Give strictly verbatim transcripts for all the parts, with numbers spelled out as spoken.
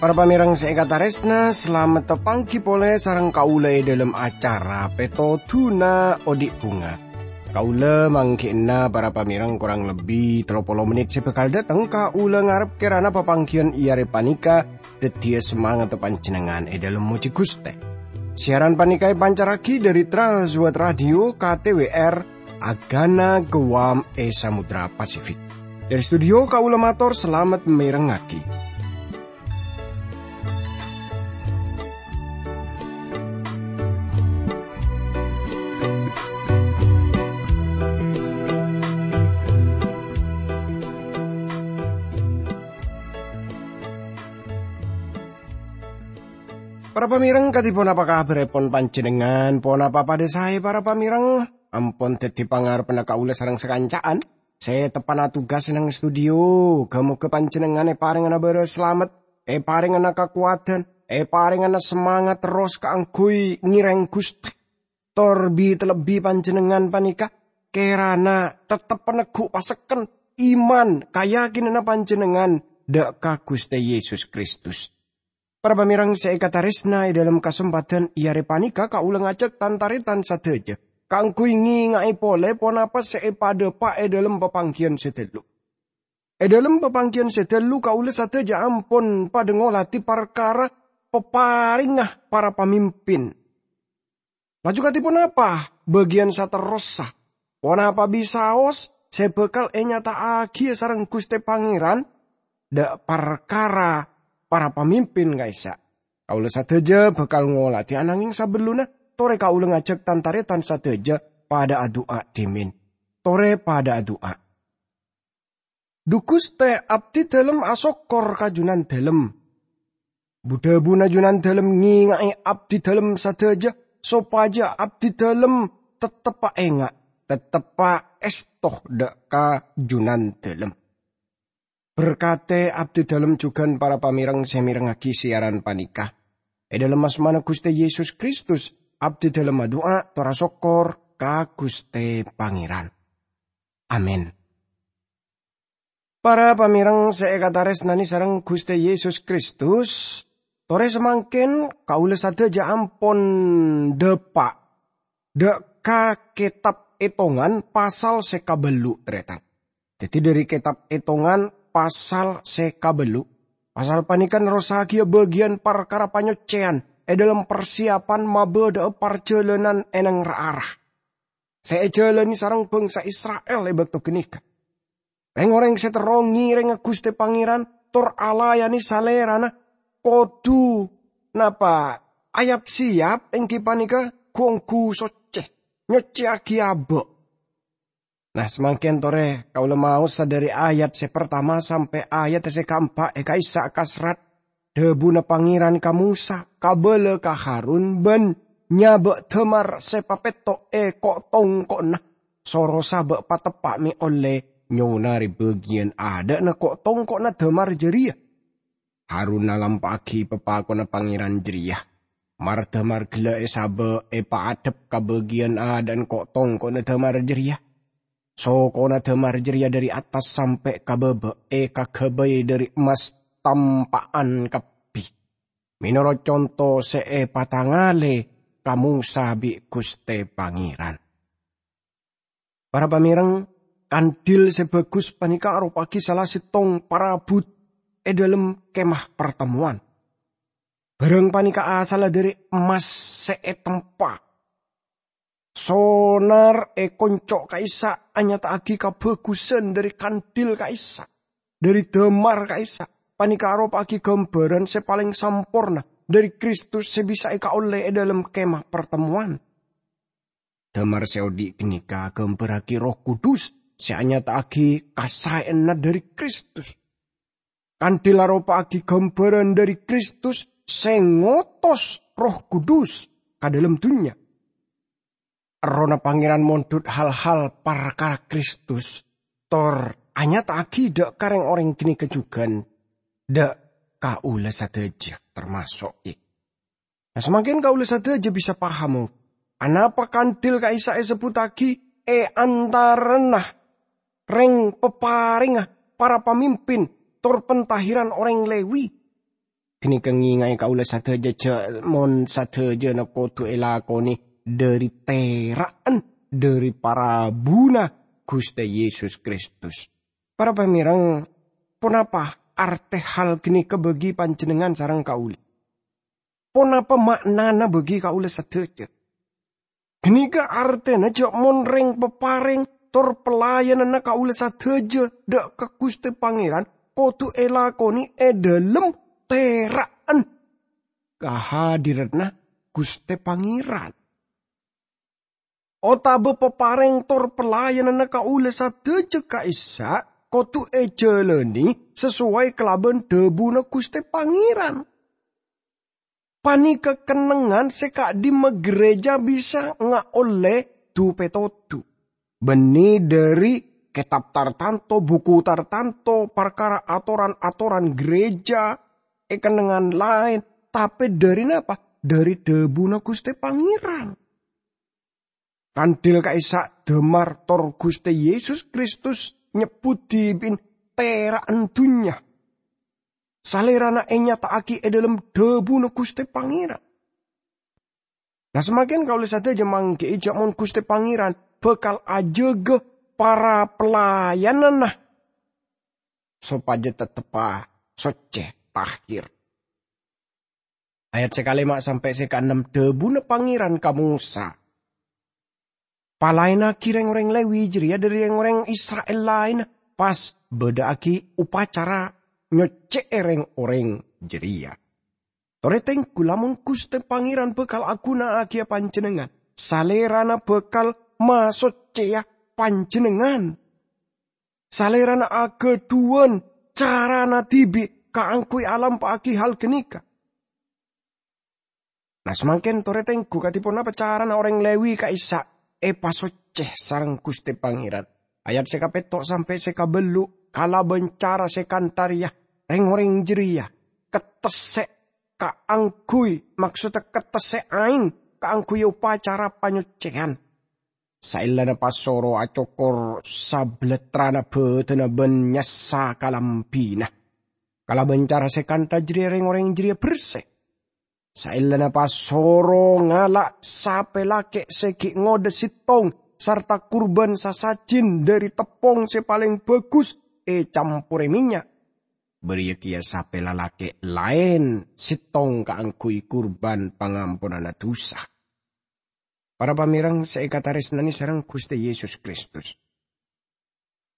Para pamèrèng sè èkatarèsna, salamet tapangghi polè sareng kaulâ è dhâlem acara Pètodhuna Odi' Bhunga. Kaulâ mangghi'na para pamèrèng korang lebbi tello polo mennit sè bhâkal dâteng. Kaulâ ngarep kèrana papangghiyân è arè panèka dhâddhiyâ samangatta panjhennengngan è dhâlem mojhi Ghustè. Siaran panèka èpancarraghi dhâri Trans World Radio K T W R, Agana Guam è Samudra Pasifik. Dhâri studio kaulâ mator salamet mèrengngaghi. Para pamèrèng, kadhi ponapa kabhârèpon panjhennengngan? Ponapa padâ saè, para pamèrèng? Ampon dhâddhi pangarebbhâ kaulâ sareng sakanca'an sè teppa'na tugas neng studio. Ghâ-mogâ panjhennengngan èparèngana bârâs salamet, èparèngana kakowadhân, èparèngana samangat terros kaangghuy ngèrèng Ghustè. Tor bi-, talebbi panjhennengngan panèka kèrana tettep neggu' pasekken iman kayakinanna panjhennengngan dhâ' ka Ghustè Yesus Kristus. Para pamèrèng sè èkatarèsna, è dhâlem kasempadhân è arè panèka kaulâ ngajhâk tan-tarètan sadhâjâ kaangghuy ngènga'è polè ponapa sè èpadâpa' è dhâlem papangghiyân sè dâllu. È dhâlem papangghiyân sè dâllu kaulâ sadhâjâ ampon padâ ngolatè parkara paparèngnga para pamimpin. Laju kadhi ponapa bâgiyân saterrossa? Ponapa bisaos sè bhâkal ènyata'aghiyâ sareng Ghustè Pangèran dhâ' parkara para pamimpin ka'issa'? Kaulâ sadhâjâ bhâkal ngolatè, ananghing sabellunna, torè kaulâ ngajhâk tan-tarètan sadhâjâ padâ adu'a dhimèn. Torè padâ adu'a. Dhu Ghustè, abdhidhâlem asokkor ka Junandhâlem. Bu-dhâbuna Junandhâlem ngènga'è abdhidhâlem sadhâjâ, sopajâ abdhidhâlem tetteppa enga', tetteppa èsto dhâ' ka Junandhâlem. Berkatè abdhidhâlem jhughân para pamèrèng sè mèrengngaghi siaran panèka. È dhâlem asmana Ghustè Yesus Kristus, abdhidhâlem adu'a tor asokkor ka Ghustè Pangèran. Amin. Para pamèrèng sè èkatarèsnanè sareng Ghustè Yesus Kristus, torè samangkèn kaulâ sadhâjâ ampon dâpa' dhâ' ka Kètab Ètongan pasal sè kabâllu', tarètan. Dhâddhi, dhâri Kètab Ètongan pasal sè kabâllu'. Pasal panèka nerrossaghiyâ bâgiyân parkara panyoccèyan è dhâlem parsiyapan mabâdâ'â parjhâlânan è neng ra-ara sè èjhâlânè sareng bhângsa Isra'il è bâkto ghânèka. Rèng-orèng sè terro ngèrèngnga Ghustè Pangèran tor alayanè Salèrana kodhu napa? Ayap-siyap, èngghi panèka ghu-ongghu soccè, nyoccèyaghi abâ'. Nah, samangkèn torè kaulâ maosa dhâri ayat sè partama sampè' ayat sè kaempa' è ka'issa' kasrat. Dhâbuna Pangèran ka Mosa, "Kabâlâ ka Harun bân nyabâ' dâmar sè papètto' è ko'-tongko'na. Soro sabâ' pateppa' mè' ollè nyonarè bâgiyân adâ'na ko'-tongko'na dâmar jârèya." Harun nalampa'aghi papakonna Pangèran jârèya. Mar-dâmar ghellâ' èsabâ' èpaadhep ka bâgiyân adâ'na ko'-tongko'na dâmar jârèya. Sokona dâmar jârèya dhâri attas sampè' ka bâbâ' èkaghâbây dhâri emmas tampa'an kabbhi, mènorot conto sè èpatangalè ka Mosa bi' Ghustè Pangèran. Para pamèrèng, kandhil sè bhâghus panèka aropa'aghi sala sèttong parabhut è dhâlem Kemah Partemmowan. Bhârâng panèka asalla dhâri emmas sè ètempa. Sonar è konco' ka'issa' anyata'aghi kabhâghusân dhâri kandhil ka'issa', dhâri dâmar ka'issa'. Panèka aropa'aghi ghâmbhârân sè palèng samporna dhâri Kristus sè bisa èkaollè è dhâlem Kemah Partemmowan. Dâmar sè odi' ghânèka aghâmbhârraghi Erroh Kudus sè anyata'aghi kasaèyanna dhâri Kristus. Kandhil aropa'aghi ghâmbhârân dhâri Kristus sè ngotos Erroh Kudus ka dhâlem dhunnya. Errohna Pangèran mondhut hal-hal parkara Kristus, tor anyata'aghi dhâ' ka rèng-orèng ghânèka jhughân, dhâ' kaulâ sadhâjâ, tamaso' è. Nah, samangkèn kaulâ sadhâjâ bisa paham, anapa kandhil ka'issa' èsebbhuttaghi è antarana rèng-paparèngnga para pamimpin tor pentahiran orèng Lewi. Ghânèka ngènga'è kaulâ sadhâjâ jhâ' mon sadhâjâna kodhu èlakonè dhâri tera'an dhâri parabuna Ghustè Yesus Kristus. Para pamèreng, ponapa artè hal ghânèka bagi panjhennengngan sareng kaulâ? Ponapa ma'nana bagi kaulâ sadhâjâ? Ghânèka artèna jhâ' mon rèng-paparèng tor pelayananna kaulâ sadhâjâ dhâ' ka Ghustè Pangèran kodhu èlakonè è dhâlem tera'an kahadiranna Ghustè Pangèran. Otabâ paparèng tor pelayananna kaulâ sadhâjâ ka'issa' kodhu èjhâlânè sasoway kalabân dhâbuna Ghustè Pangèran. Panèka kennengngan sè ka'dimma ghârèjâ bisa ngaollè du-pètodhu, bânnè dhâri kètab tartanto, buku tartanto, parkara atoran-atoran ghârèjâ, è kennengngan laèn, tapè dhâri napa? Dhâri dhâbuna Ghustè Pangèran. Kandhil ka'issa' dhâmar tor Ghustè Yesus Kristus nyebbhut dhibi'en tera'an dhunnya. Salèrana ènyata'aghi è dhâlem dhâbuna Ghustè Pangèran. Nah, samangkèn kaulâ sadhâjâ mangghi'i jhâ' mon Ghustè Pangèran bhâkal ajâgâ para pelayananna sopajâ tetteppa soccè, tahir. Ayat sè kalèma' sampè' sè kaennem, dhâbuna Pangèran ka Mosa, "Palaènnaghi rèng-orèng Lewi jârèya dhâri rèng-orèng Isra'il laènna, pas bâdâ'aghi opacara nyoccè'è rèng-orèng jârèya." Torè tengghu, lamon Ghustè Pangèran bhâkal aghuna'aghiyâ panjhennengngan, Salèrana bhâkal masoccèya panjhennengngan. Salèrana aghâdhuwân carana dhibi' kaangghuy alampa'aghi hal ghânèka. Nah, samangkèn torè tengghu kadhi ponapa carana orèng Lewi ka'issa' èpasoccè sareng Ghustè Pangèran. Ayat sè kapètto' sampè' sè kabâllu', kalabân cara sè kantha rèya, rèng-orèng jârèya kettessè' kaangghuy, maksodda kettessè' aèng kaangghuy opacara panyoccèyan. Saellana pasoro acokor sablattrana bâdânna bân nyassa kalambhina. Kalabân cara sè kantha jârèya rèng-orèng jârèya bersè. Saellana pasoro ngala' sapè lakè' sè ghi' ngodâ sèttong sarta kurbân sasajin dhâri teppong sè palèng bhâghus ècamporè mènnya', bâriyâ kèya sapè lalakè' laèn sèttong kaangghuy kurbân pangamponanna dhusa. Para pamèreng sè èkatarèsnanè sareng Ghustè Yesus Kristus,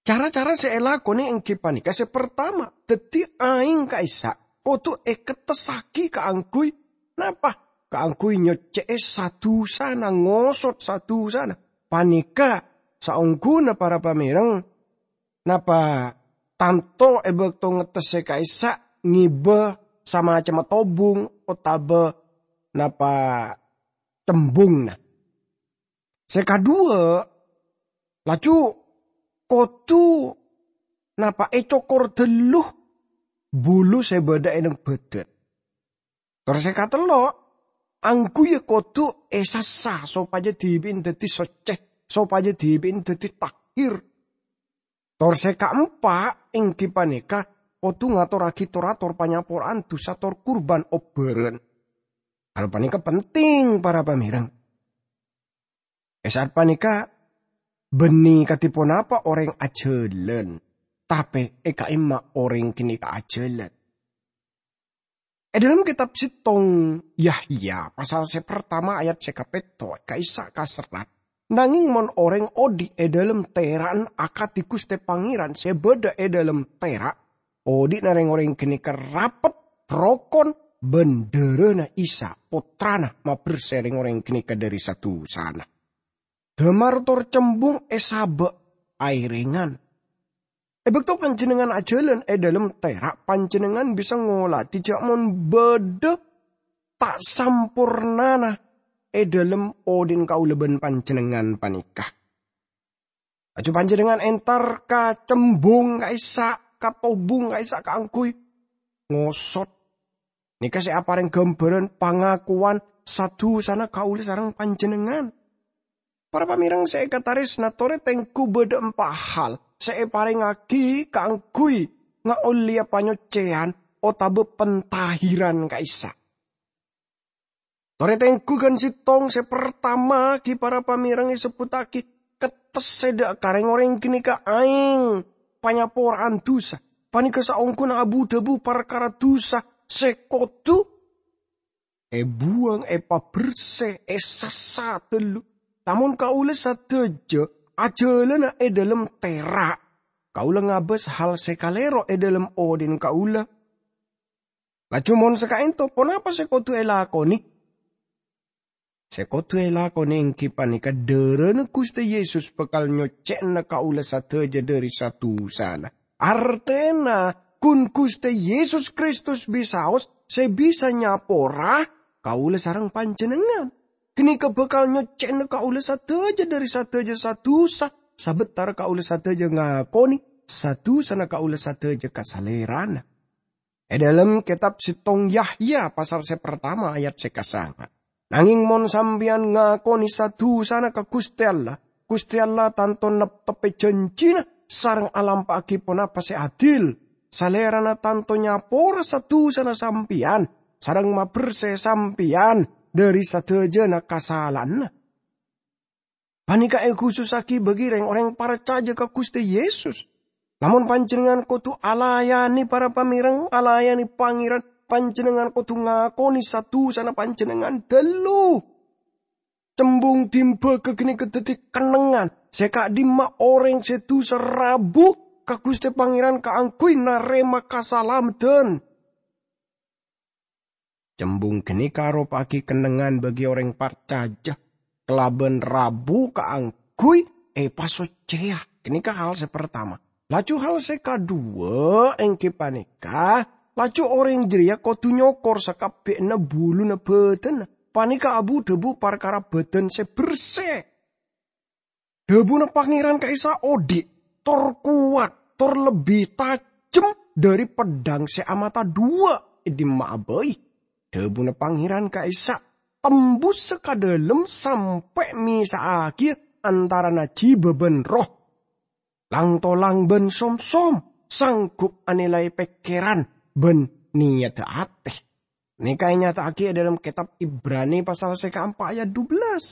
cara-cara sè èlakonè èngghi panèka sè partama, dhâddhi aèng ka'issa' kodhu èkettessaghi kaangghuy napa? Kaangghuy nyoccè'è sa-dhusana, ngosot sa-dhusana. Panèka saongghuna para pamèreng, napa tanto è bâkto ngettessè ka'issa' ngibâ samacemma tobung otabâ napa cembhungna. Sè kaduwâ, laju kodhu napa ècokor dhâllu bulu sè bâdâ è neng bâdân. Tor sè katello', angghuyyâ kodhu èsassa sopajâ dhibi'en dhâddhi soccè, sopajâ dhibi'en dhâddhi tahir. Tor sè kaempa' èngghi panèka kodhu ngatorraghi tor-ator panyapora'an dhusa tor kurbân obbhârân. Hal panèka penting, para pamèreng. È sa'at panèka, bânnè kadhi ponapa orèng ajhâlân, tapè è ka'imma orèng ghânèka ajhâlân. È dhâlem kètab sèttong Yahya, pasal sè partama ayat sè kapètto', ka'issa' kaserrat, "Nangèng mon orèng odhi' è dhâlem tera'an akadhi Ghustè Pangèran sè bâdâ è dhâlem tera', odhi'na rèng-orèng ghânèka rapet, rokon, bân dhârâna Isa, Pottrana, mabersè rèng-orèng ghânèka dhâri sa-dhusana." Dhâmar tor cembhung èsabâ' aèrèngan. È bâkto panjhennengngan ajhâlân è dhâlem tera', panjhennengngan bisa ngolatè jhâ' mon bâdâ ta' sampornana è dhâlem odhi'na kaulâ bân panjhennengngan panèka. Laju panjhennengngan entar ka cembhung ka'issa', ka tobung ka'issa' kaangghuy ngosot. Nèka sè aparèng ghâmbhârân pangakowan sa-dusana kaulâ sareng panjhennengngan. Para pamèreng sè èkataresna, torè tengghu bâdâ empa' hal sè èparèngaghi kaangghuy ngaollèya panyoccèyan otabâ pentahiran ka'issa'. Torè tengghu ghân sèttong sè partama ghi para pamèreng èsebbhuttaghi kettès sè dâ' ka rèng-orèng ghânèka aèng panyapora'an dusa. Panèka saongghuna abu-dhâbu parkara dusa sè kodhu èbuwâng, èpabersè, èsassa ghâllu. Lamon kaulâ sadhâjâ ajhâlâna è dhâlem tèra', kaulâ ngabâs hal sè kalèro è dhâlem odhi'na kaulâ. Laju mon saka'ènto, ponapa sè kodhu èlakonè? Sè kodhu èlakonè èngghi panèka dârâna Ghustè Yesus bhâkal nyoccè'ana kaulâ sadhâjâ dhâri sa-dusana. Artèna, ghun Ghustè Yesus Kristus bisaos sè bisa nyapora kaulâ sareng panjhennengngan. Ghânèka bhâkal nyoccè'ana kaulâ sadhâjâ dhâri sadhâjâ sa-dusa, sabâtara kaulâ sadhâjâ ngakonè sa-dusana kaulâ sadhâjâ ka Salèrana. È dhâlem kètab sèttong Yahya pasal sè partama ayat sè kasanga', "Nangèng mon sampèyan ngakonè sa-dusana ka Ghustè Allah, Ghustè Allah tanto neptebbhi jhânjhina sareng alampa'aghi ponapa sè adil. Salèrana tanto nyapora sa-dusana sampèyan sareng mabersè sampèyan dhâri sadhâjâna kasala'anna." Panèka èkhusussaghi bagi rèng-orèng parcajâ ka Ghustè Yesus. Lamon panjhennengngan kodhu alayanè para pamèreng, alayanè Pangèran, panjhennengngan kodhu ngakonè sa-dusana panjhennengngan ghâllu. Cembung dhimbâ ghâ ghânèka dhâddhi kennengngan sè ka'dhimma orèng sè dusa rabu ka Ghustè Pangèran kaangghuy narèma kasalameddhân. Cembung ghânèka aropa'aghi kennengngan bagi orèng parcajâ kalabân rabu kaangghuy èpasoccèya. Ghânèka hal sè partama. Laju hal sè kaduwâ' èngghi panèka, laju orèng jârèya kodhu nyokor sakabbhiyanna buluna bhâdhânna. Panèka abu-dhâbu parkara bhâdhân sè bersè. Dhâbuna Pangèran ka'issa' odi', tor kowat, tor lebbi tajem dhâri peddhâng sè amata duwâ'. È dimma'a bhâi? Dhâbuna Pangèran ka'issa' tembusa ka dhâlem sampè' mèsa'aghiyâ antarana jiba bân roh, lang-tolang bân som-som, sanggup anilai pèkkèran bân niyadda atè. Nèka ènyata'aghi è dhâlem kètab Ibrani pasal sè kaempa' ayat dubellâs.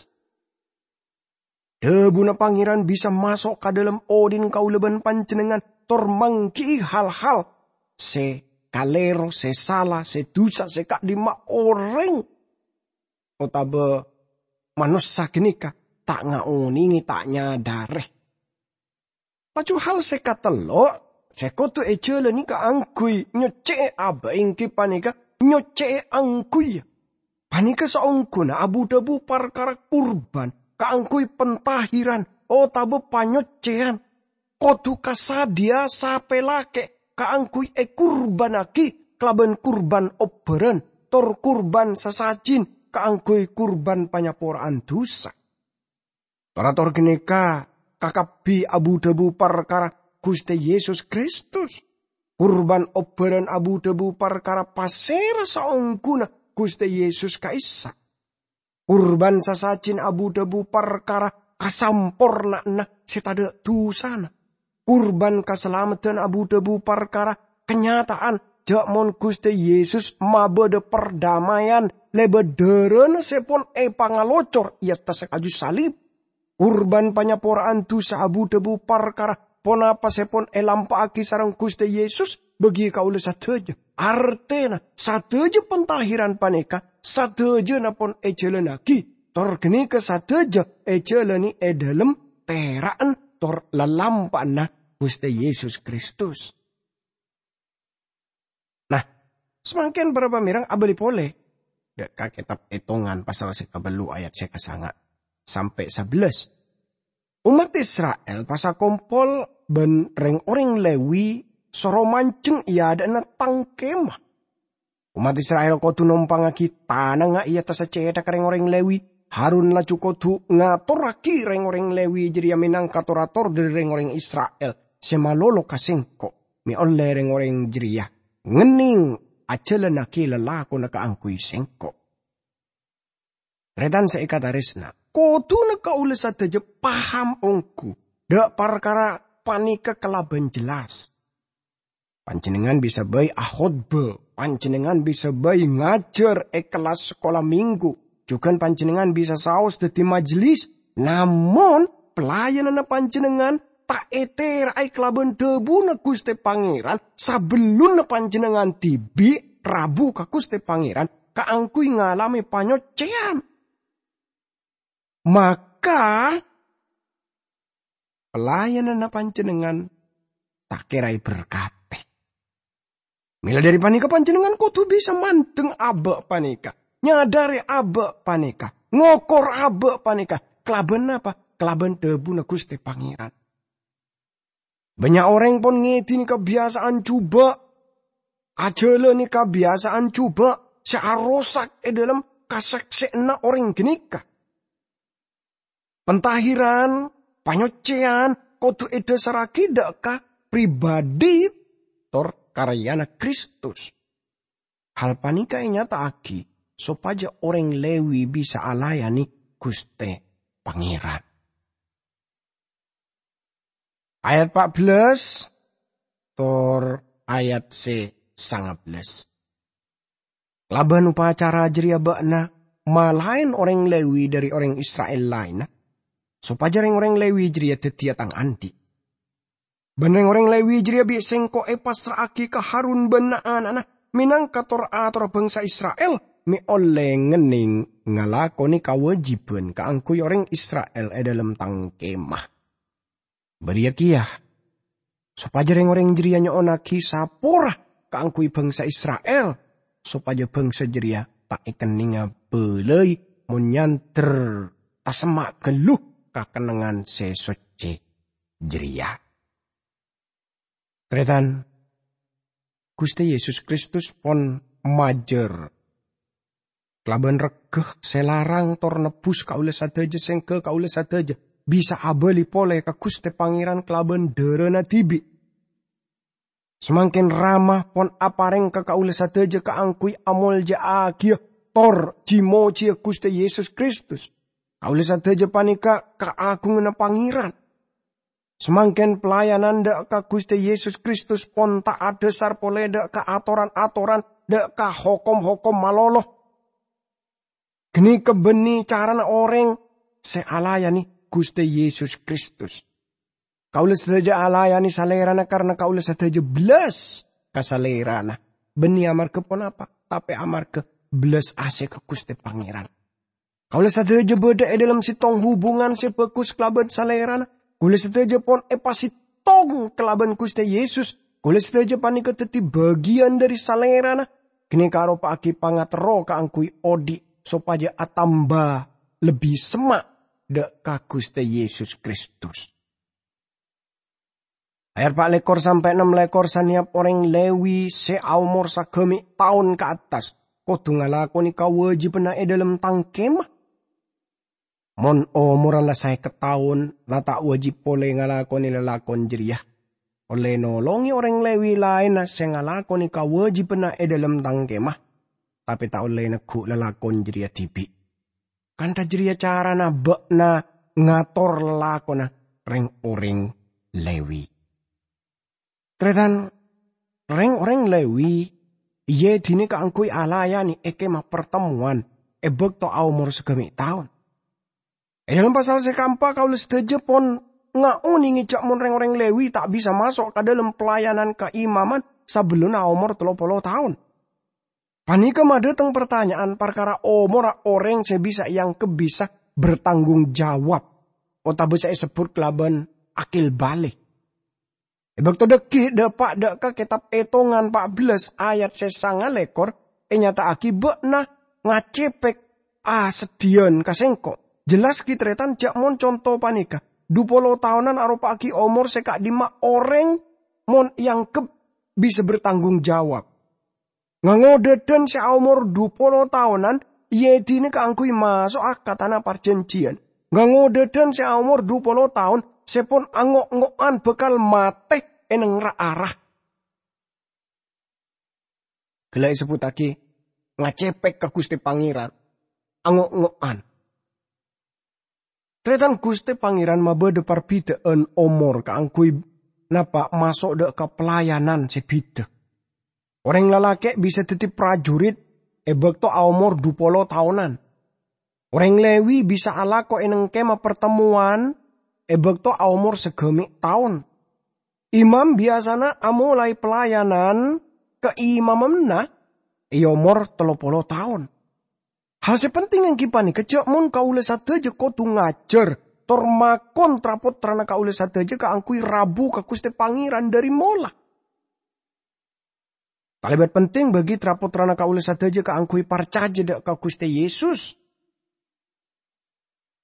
Dhâbuna Pangèran bisa maso' ka dhâlem odhi'na kaulâ bân panjhennengngan, tor mangghi'i hal-hal sè kalèro, sè sala, sè dusa, sè ka'dhimma orèng otabâ manossa ghânèka ta' ngaonèngè, ta' nyadhârè. Laju hal sè katello' sè kodhu èjhâlâni kaangghuy nyoccè'è abâ' èngghi panèka nyoccè'è angghuy. Panèka saongghuna abu-dhâbu parkara kurban kaangghuy pentahiran otabâ panyoccèyan. Kodhu kasadhiyâ sapè lakè' kaangghuy èkurbannaghi kalabân kurban obbhârân, tor kurban sasajin kaangghuy kurban panyapora'an dusa. Tor-ator ghânèka kakabbhi abu-dhâbu parkara Ghustè Yesus Kristus. Kurban obbhârân abu-dhâbu parkara pasèra saongghuna Ghustè Yesus ka'issa'. Kurban sasajin abu-dhâbu parkara kasamporna'anna sè tadâ' dusana. Kurban kasalameddhân abu-dhâbu parkara kanyata'an jhâ' mon Ghustè Yesus mabâdâ pardamaian lèbât dhârâna sè pon èpangalocor è attassa kaju salib. Kurban panyapora'an dusa abu-dhâbu parkara ponapa sè pon èlampa'aghi sareng Ghustè Yesus bagi kaulâ sadhâjâ. Artèna, sadhâjâ pentahiran panèka sadhâjâna pon èjhâlânnaghi, tor ghânèka sadhâjâ èjhâlâni è dhâlem tèra'an tor lalampa'anna Ghustè Yesus Kristus. Nah, samangkèn para pamèreng abâli polè dâ' ka kètab Ètongan pasal sè kabâllu ayat sè kasanga' sampè' sabellâs. Ommat Isra'il pas akompol bân rèng-orèng Lewi soro manjheng è adâ'na tang kemah. Ommat Isra'il kodhu nompangngaghi tanangnga è attassa cèthagghâ rèng-orèng Lewi. Harun laju kodhu ngatorraghi rèng-orèng Lewi jârèya mènangka tor-ator dhâri rèng-orèng Isra'il sè malolo ka sèngko', mè' ollè rèng-orèng jârèya ngennèng ajhâlânnaghi lalakonna kaangghuy sèngko'. Tarètan sè èkataresna, kodhuna kaulâ sadhâjâ paham ongghu dâ' parkara panèka kalabân jelas. Panjhennengngan bisa bhâi akhotbah, panjhennengngan bisa bhâi ngajhâr è kellas sakola minggu, jhughân panjhennengngan bisa saos dhâddhi majelis. Namong, pelayananna panjhennengngan ta' ètèra'è kalabân dhâbuna Ghustè Pangèran sabellunna panjhennengngan dhibi' rabu ka Ghustè Pangèran kaangghuy ngalamè panyoccèyan. Maka, pelayananna panjhennengngan ta' kèra èberkatè. Mèla dhâri panèka, panjhennengngan kodhu bisa mandeng abâ' panèka, nyadhâri abâ' panèka, ngokor abâ' panèka. Kalabân napa? Kalabân dhâbuna Ghustè Pangèran. Bânnya' orèng pon ngèdhini kabiyasa'an jhubâ', ajhâlâni kabiyasa'an jhubâ' sè arosak è dhâlem kasaksè'anna orèng ghânèka. Pentahiran, panyoccèyan kodhu èdhâsarraghi dâ' ka pribadhi tor karèyana Kristus. Hal panèka ènyata'aghi sopajâ orèng Lewi bisa alayanè Ghustè Pangèran. Ayat pa' bellâs tor ayat sè sanga bellâs. Kalabân opacara jârèya bâ'na malaèn orèng Lewi dhâri orèng Isra'il laènna, sopajâ rèng-orèng Lewi jârèya dhâddhiyâ tang andi'. Bân rèng-orèng Lewi jârèya bi' sèngko' èpassra'aghi ka Harun bân na'-ana'na mènangka tor-atorra bhângsa Isra'il, mè' ollè ngennèng ngalakonè kawâjibhân kaangghuy orèng Isra'il è dhâlem tang kemah. Bâriyâ kèya, sopajâ rèng-orèng jârèya nyo'onnaghi sapora kaangghuy bhângsa Isra'il, sopajâ bhângsa jârèya ta' èkennènga bâlâi mon nyandher tasemma' ghâllu ka kennengngan sè soccè jârèya. Tarètan, Ghustè Yesus Kristus pon majâr kalabân regghâ sè larang tor nebbhus kaulâ sadhâjâ, sèngghâ kaulâ sadhâjâ bisa abâli polè ka Ghustè Pangèran kalabân dhârâna dhibi'. Samangkèn Rama pon aparèng ka kaulâ sadhâjâ kaangghuy amolja'aghiyâ tor ji-mojiyâ Ghustè Yesus Kristus. Kaulâ sadhâjâ panèka kaagunganna Pangèran. Samangkèn pelayanan dâ' ka Ghustè Yesus Kristus pon ta' adhâsar polè dâ' ka atoran-atoran, dâ' ka hokom-hokom malolo. Ghânèka bânnè carana orèng sè alayanè Ghustè Yesus Kristus. Kaulâ sadhâjâ alayanè Salèrana karana kaulâ sadhâjâ bellas ka Salèrana. Bânnè amarghâ ponapa? Tapè amarghâ bellas asè ka Ghustè Pangèran. Kaulâ sadhâjâ bâdâ è dhâlem sèttong hubungan sè bhâghus kalabân Salèrana. Kaulâ sadhâjâ pon èpasèttong kalabân Ghustè Yesus. Kaulâ sadhâjâ panèka dhâddhi bâgiyân dhâri Salèrana. Ghânèka aropa'aghi pangaterro kaangghuy odi' sopajâ atamba lebbi semma' dâ' ka Ghustè Yesus Kristus. Ayat pa' lèkor sampè' nem lèkor, sanèyap orèng Lewi sè aomor sagâmè' taon ka attas kodhu ngalakonè kawâjibhânna è dhâlem tang kemah. Mon omorra la saèket taon, la ta' wâjib polè ngalakonè lalakon jârèya. Ollè nolongè orèng Lewi laènna sè ngalakonè kawâjibhânna è dhâlem tang kemah, tapè ta' ollè negghu' lalakon jârèya dhibi'. Kantha jârèya carana bâ'na ngator lalakonna rèng-orèng Lewi. Tarètan, rèng-orèng Lewi èèdinè kaangghuy alayanè è Kemah Partemmowan è bâkto aomor sagâmè' taon. È dhâlem pasal sè kaempa, kaulâ sadhâjâ pon ngaonèngè jâ' mon rèng-orèng Lewi ta' bisa maso' ka dhâlem pelayanan kaimaman sabellunna aomor tello polo taon. Panèka madâteng partanya'an parkara omorra orèng sè bisa èangghep bisa bertanggung jawab, otabâ sè èsebbhut kalabân akil balik. È bâkto dhâggi' dâpa' dâ' ka Kètab Ètongan pa' bellâs ayat sè sanga lèkor, ènyata'aghi bâ'na ngacepek aseddhiyân ka sèngko'. Jelas ghi' tarètan jâ' mon conto panèka, dhu polo taonan aropa'aghi omor sè ka'dimma orèng mon èangghep bisa bertanggung jawab. Ngango dhâdhân sè aomor dhu polo taonan èèdinè kaangghuy maso'a ka Tana Parjhânjhiyân. Ngango dhâdhân sè aomor dhu polo taon sè pon ango'-ngo'an bhâkal matè è neng ra-ara. Ghellâ' èsebbhuttaghi ngacèpèk ka Ghustè Pangèran, ango'-ngo'an. Tarètan, Ghustè Pangèran mabâdâ parbidhâ'ân omor kaangghuy napa' maso' dâ' ka pelayanan sè bhidhâ. Orèng lalakè' bisa dhâddhi prajurit è bâkto aomor dhu polo taonan. Orèng Lewi bisa alako è nèng Kemah Partemmowan è bâkto aomor saghâmè' taon. Imam biyasana amolaè pelayanan kaimamanna è omor tello polo taon. Hal sè penting èngghi panèka jhâ' mon kaulâ sadhâjâ kodhu ngajhâr tor makon tra-pottrana kaulâ sadhâjâ kaangghuy rabu ka Ghustè Pangèran dhâri mola. Kalèbât penting bagi tra-pottrana kaulâ sadhâjâ kaangghuy parcajâ dâ' ka Ghustè Yesus.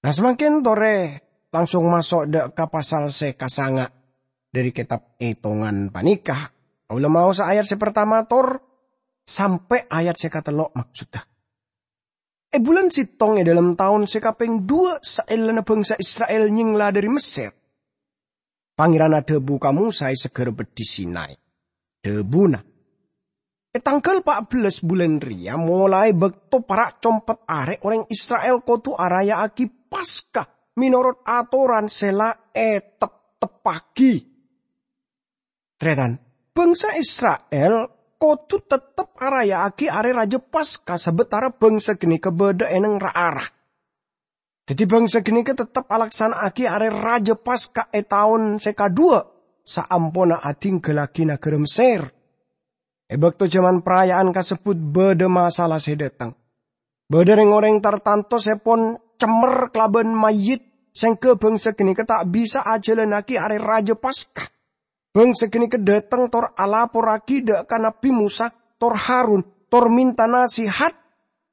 Nah, samangkèn torè langsung maso' dâ' ka pasal sè kasanga' dhâri kètab Ètongan panèka. Kaulâ maosa ayat sè partama tor sampè' ayat sè katello' maksodda. È bulân sèttong è dhâlem taon sè kapèng dhuwâ' saellana bhângsa Isra'il nyèngla dhâri Messèr, Pangèran adhâbu ka Mosa è Saghârâ Beddhi Sinai. Dhâbuna, "È tangghâl pa' bellâs bulân rèya, molaè bâkto para' compet arè, orèng Isra'il kodhu araya'aghi Paska mènorot atoran sè la ètepteppaghi." Tarètan, bhângsa Isra'il kodhu tettep araya'aghi Arè Rajâ Paska sabâtara bhângsa ghânèka bâdâ è nèng ra-ara. Dhâddhi, bhângsa ghânèka tettep alaksana'aghi Arè Rajâ Paska è taon sè kadhuwâ' saamponna adhingghâllaghi naghârâ Messèr. È bâkto jhâman paraya'an kasebbhut bâdâ masalah sè dâteng. Bâdâ rèng-orèng tartanto sè pon cemmer kalabân mayyit, sèngghâ bhângsa ghânèka ta' bisa ajhâlânnaghi Arè Rajâ Paska. Bhângsa ghânèka dâteng tor alaporraghi dâ' ka Nabbhi Mosa tor Harun, tor mènta nasèhat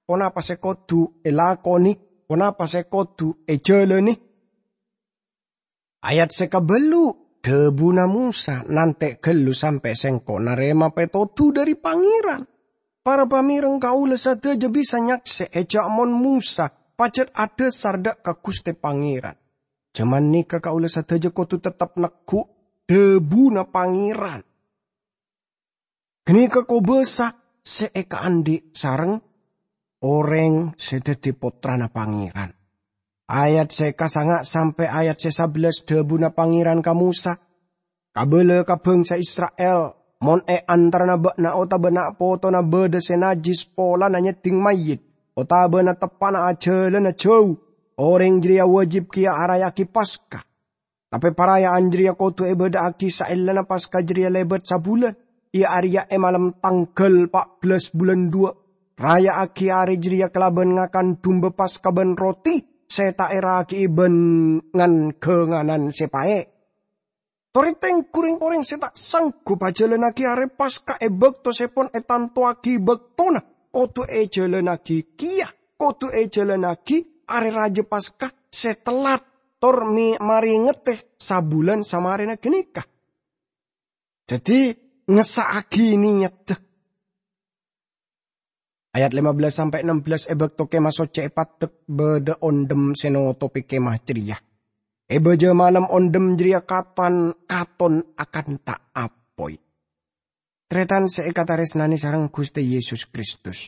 ponapa sè kodhu èlakonè, ponapa sè kodhu èjhâlânè. Ayat sè kabâllu', dhâbuna Mosa, "Nantè' ghâllu sampè' sèngko' narèma pètodhu dhâri Pangèran. Para pamèreng kaulâ sadhâjâ bisa nyaksè'è jhâ' mon Mosa pajhât adhâsar dâ' ka Ghustè Pangèran. Jhâman nèka kaulâ sadhâjâ kodhu tettep negghu' dhâbuna Pangèran. Ghânèka kobâsa sè èkaandhi' sareng orèng sè dhâddhi pottrana Pangèran." Ayat sè kasanga' sampè' ayat sè sabellâs, dhâbuna Pangèran ka Mosa, "Kabâlâ ka bhângsa Isra'il, mon è antarana bâ'na otabâ na'-potona bâdâ sè najjhis polana nyeddhing mayyit, otabâna teppa'na ajhâlâna jhâu, orèng jârèya wâjib kèya araya'aghi Paska. Tapè paraya'an jârèya kodhu èbâdâ'aghi saellana Paska jârèya lèbât sabulân, iyâ arèya è malem tangghâl pa' bellâs bulân dhuwâ'. Raya'aghi arè jârèya kalabân ngakan dumba Paska bân roti sè ta' èraghi'i bân ngan-ghânganan sè paè'. Torè tengghu rèng-orèng sè ta' sanggup ajhâlânnaghi Arè Paska è bâkto sè pon ètantowaghi bâktona, kodhu èjhâlânnaghi kèya, kodhu èjhâlânnaghi Arè Rajâ Paska sè tellat, tor mè-, marèngedhâ sabulân samarèna ghânèka." Dhâddhi, ngessa'aghi nèyaddhâ. Ayat lèma bellâs sampè' ennem bellâs, è bâkto Kèma Soccè èpaddhek, bâdâ ondhem sè notobhi Kèma jârèya. È bâjâ malem ondhem jârèya katon, katon akanta apoy. Tarètan sè èkatarèsnanè sareng Ghustè Yesus Kristus.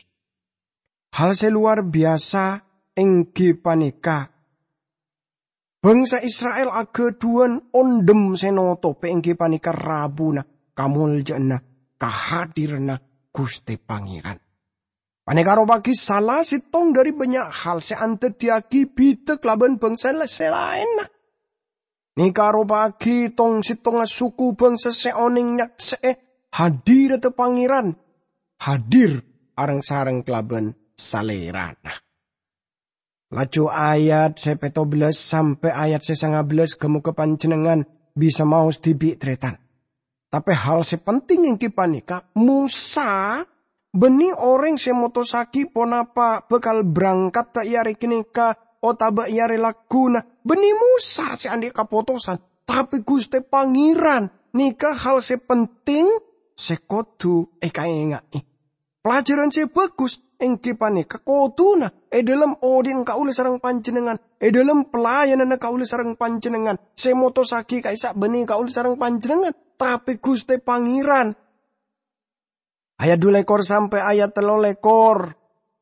Hal sè lowar biyasa èngghi panèka bhângsa Isra'il aghâdhuwân ondhem sè notobhi èngghi panèka rabuna kamoljâ'ânna kahadiranna Ghustè Pangèran. Panèka aropa'aghi sala sèttong dhâri bânnya' hal sè andhâddhiyâghi bhidhâ kalabân bhângsa sè laènna. Nèka aropa'aghi tong-sèttongnga suku bhângsa sè onèng nyaksè'è hadirra Pangèran, hadir areng-sareng kalabân Salèrana. Laju ayat sè pètto bellâs sampè' ayat sè sanga bellâs, ghâ-mogâ panjhennengngan bisa maos dhibi', tarètan. Tapè hal sè penting èngghi panèka, Mosa bânnè orèng sè motossaghi ponapa bhâkal brangkatta è arè ghânèka otabâ è arè lagghuna. Bânnè Mosa sè andhi' kapotosan, tapè Ghustè Pangèran nèka hal sè penting sè kodhu èkaènga'è. Pelajaran sè bhâghus èngghi panèka kodhuna è dhâlem odi'na kaulâ sareng panjhennengngan, è dhâlem pelayananna kaulâ sareng panjhennengngan, sè motossaghi ka'issa' bânnè kaulâ sareng panjhennengngan, tapè Ghustè Pangèran. Ayat dhu lèkor sampè' ayat tello lèkor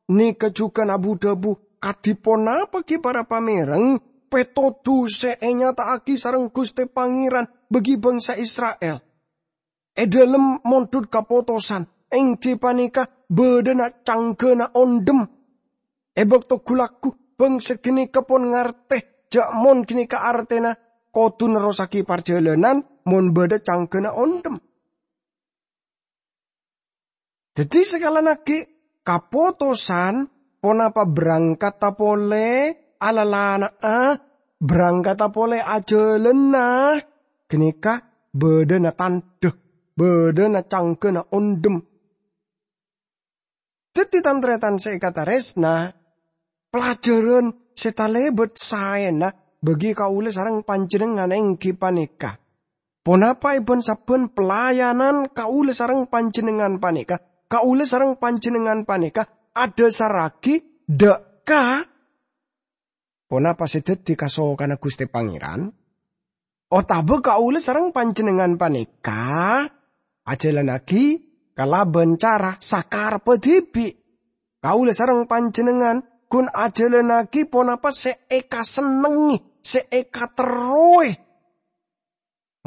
nèka jhughân abu-dhâbu, "Kadhi ponapa ghi' para pamèreng pètodhu sè ènyata'aghi sareng Ghustè Pangèran bagi bangsa Isra'il? È dhâlem mondhut kapotosan, èngghi panèka bâdâna cangghâna ondhem. È bâkto ghu-lagghu, bangsa ghânèka pon ngartè jâ' mon ghânèka artèna kodhu nerrossaghi parjhâlânan mon bâdâ cangghâna ondhem." Dhâddhi, sakalèan aghi', kapotosan ponapa berangkata polè alalana'a, berangkata polè ajhâlânna, ghânèka bâdâna tandhâ, bâdâna cangghâna ondhem. Dhâddhi, tan-tarètan sè èkatarèsna, pelajaran sè talèbât saèna bagi kaulâ sareng panjhennengngan èngghi panèka, ponapa è bân-sabbhân pelayanan kaulâ sareng panjhennengngan panèka, kaulâ sareng panjhennengngan panèka adhâsarraghi dâ' ka ponapa sè dhâddhi kasokanna Ghustè Pangèran? Otabâ kaulâ sareng panjhennengngan panèka ajhâlânnaghi kalabân cara sakarebbhâ dhibi'? Kaulâ sareng panjhennengngan ghun ajhâlânnaghi ponapa sè èkasennengngè, sè èkaterrowè.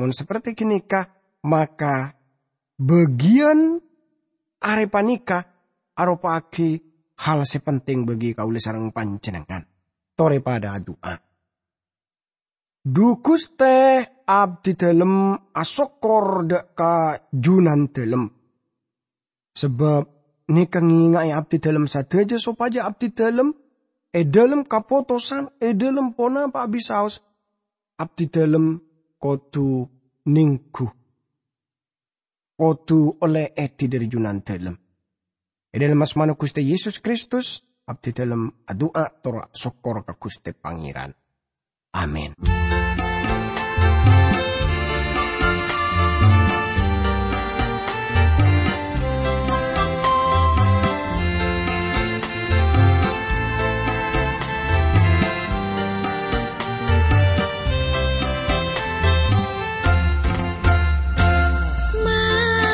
Mon saperti ghânèka, maka bâgiyân arè panèka aropa'aghi hal sè penting bagi kaulâ sareng panjhennengngan. Torè padâ adu'a. Dhu Ghustè, abdhidhâlem asokkor dâ' ka Junandhâlem. Sabâb nèka ngènga'è abdhidhâlem sadhâjâ sopajâ abdhidhâlem, è dhâlem kapotosan, è dhâlem ponapa'a bisaos, abdhidhâlem kodhu nèngghu, kodhu ollè èdhi dâri Junandhâlem. È dhâlem asmana Ghustè Yesus Kristus, abdhidhâlem adu'a tor asokkor ka Ghustè Pangèran. Amin.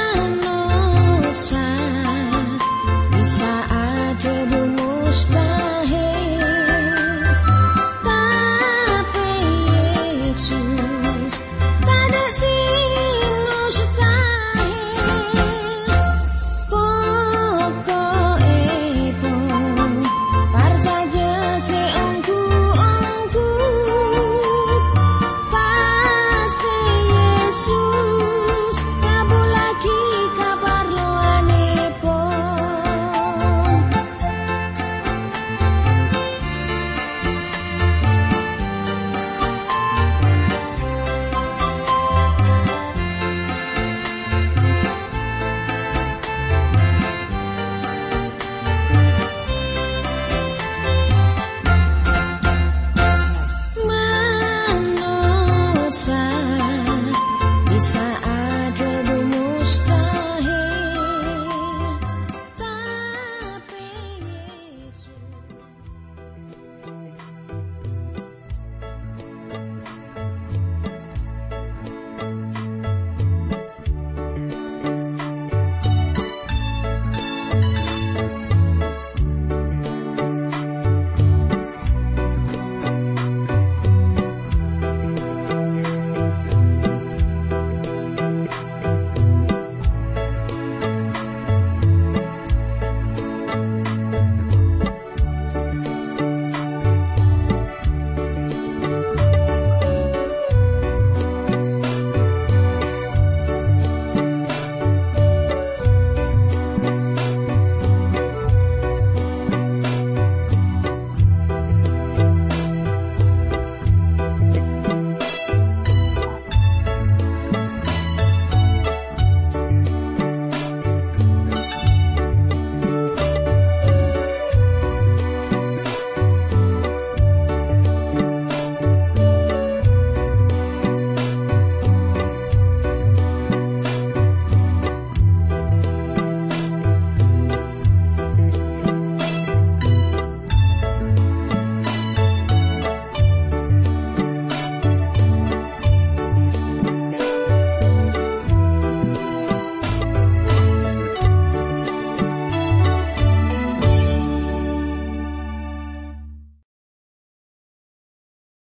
Manossa bisa adhâbu mustahil.